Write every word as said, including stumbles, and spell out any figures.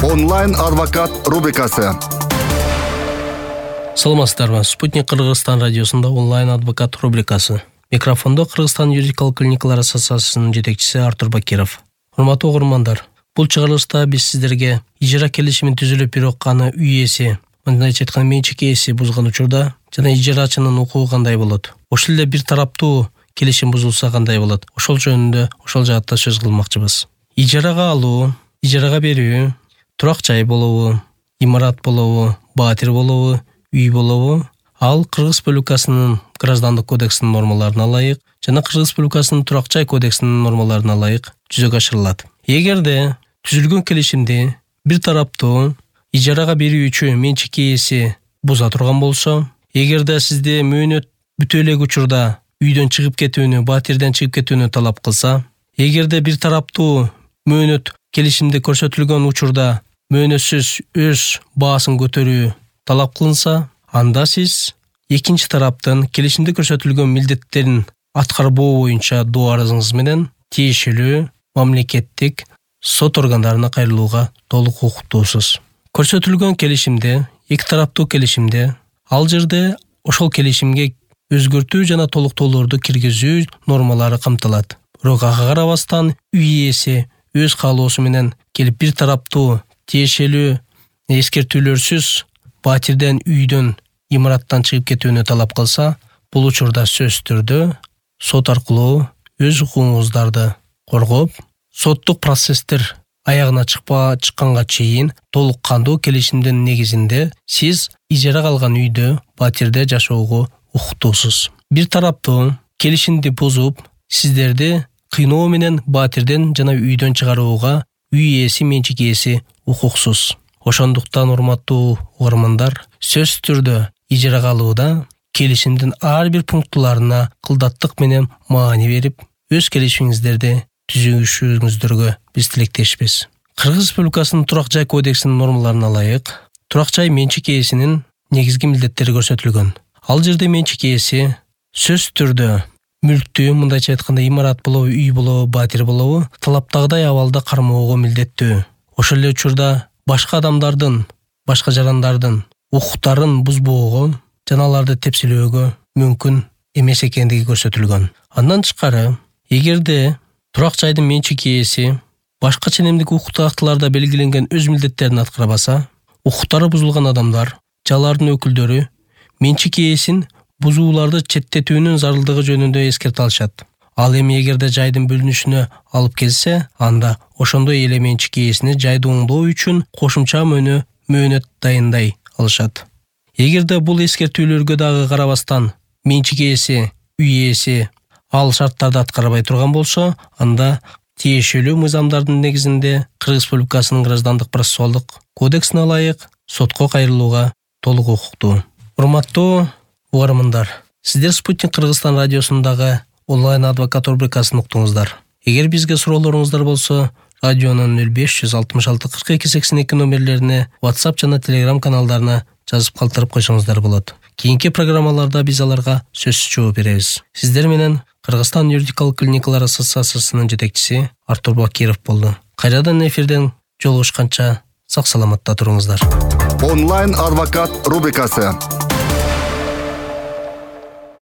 Онлайн адвокат рубрикасы. Саламатсыздарбы? Спутник Кыргызстан радиосунда онлайн адвокат рубрикасы. Микрофондо Кыргызстан юридикалык клиникалар ассоциациясынын жетекчиси Артур Бакиров. Урматтуу угармандар, бул чыгарылышта биз сиздерге ижара келишимин түзүлүп бирок аны үй ээси, мындайча айтканда менчик ээси бузган учурда жана ижарачынын укугу кандай болот? Ошол эле бир тараптуу келишим бузулса кандай болот? Ошол жөнүндө ошол жаатта сөз кылмакчыбыз. Ижарага алуу, ижарага берүү, турак жай болобу, имарат болобу, баатир болобу, үй болобу, ал Кыргыз Республикасынын граждандык кодексинин нормаларына ылайык жана Кыргыз Республикасынын турак жай кодексинин нормаларына ылайык жүзөгө ашырылат. Эгерде түзүлгөн келишимди бир тараптуу ижарага берүүчү менчик ээси буза турган болсо, эгерде сизде мөөнөт бүтө элек учурда үйдөн чыгып кетүүнү, баатирден чыгып кетүүнү талап кылса, эгерде бир тараптуу мөөнөт келишимде көрсөтүлгөн учурда мөөнөтсүз өз баасын көтөрүү талап кылынса, анда сиз экинчи тараптын келишимде көрсөтүлгөн милдеттерин аткарбоо боюнча доо арызыңыз менен тиешелүү мамлекеттик сот органдарына кайрылууга толук укуктуусуз. Көрсөтүлгөн келишимде, эки тараптуу келишимде, ал жерде ошол келишимге өзгөртүү жана толуктоолорду киргизүү нормалары камтылат. Бирок ага карабастан үй ээси өз каалоосу менен келип бир тараптуу тиешелүү эскертүүлөрсүз баатирден, үйдөн, имараттан чыгып кетүүнү талап кылса, бул учурда сөзсүз түрдө сот аркылуу өз укугуңуздарды коргоп, соттук процесстер аягына чыкпа чыкканга чейин толук кандуу келишимдин негизинде сиз ижарага алган үйдө, баатирде жашоого укуктуусуз. Бир тараптуу келишимди бузуп, сиздерди кыйноо менен баатирден жана үйдөн чыгарууга үй ээси, менчик ээси укуксуз. Ошондуктан урматтуу угармандар, сөзсүз түрдө ижарага алууда келишимдин ар бир пунктуларына кылдаттык менен маани берип, өз келишимиңиздерди түзүүшүңүздөргө биз тилектешпиз. Кыргыз Республикасынын турак жай кодексинин нормаларына ылайык, турак жай менчик ээсинин негизги милдеттери көрсөтүлгөн. Ал жерде менчик ээси сөзсүз түрдө мүлктү, мындайча айтканда имарат болобу, үй болобу, баатир болобу, талаптагыдай абалда кармоого милдеттүү. Ошол эле учурда башка адамдардын, башка жарандардын укуктарын бузбоого жана аларды тепселөөгө мүмкүн эмес экендиги көрсөтүлгөн. Андан тышкары, эгерде турак жайдын менчик ээси башка ченемдик укуктук актыларда белгиленген өз милдеттерин аткарбаса, укуктары бузулган адамдар, жалардын өкүлдөрү менчик ээсин бузууларды четтетүүнүн зарылдыгы жөнүндө эскерте алышат. Ал эми эгерде жайдын бөлүнүшүнө алып келсе, анда ошондой эле менчик ээсини жайды оңдоо үчүн кошумча мөөнө мөөнөт дайындай алышат. Эгерде бул эскертүүлөргө дагы карабастан менчик ээси, үй ээси ал шарттарды аткарбай турган болсо, анда тиешелүү мыйзамдардын негизинде Кыргыз Республикасынын граждандык процессуалдык кодексине ылайык сотко кайрылууга толук укуктуу. Урматтуу угармандар, сиздер Спутник Кыргызстан радиосундагы онлайн адвокат рубрикасын уктуңуздар. Эгер бизге суроолоруңуздар болсо, радионун нөл беш жүз алтымыш алты кырк эки сексен эки номерлерине, WhatsApp жана Telegram каналдарына жазып калтырып койсоңуздар болот. Кийинки программаларда биз аларга сөзсүз жооп беребиз. Сиздер менен Кыргызстан юридикалык клиникалар ассоциациясынын жетекчиси Артур Бакиров болду. Кайрадан эфирден жолугушканча сак саламатта туруңуздар. Онлайн адвокат рубрикасы.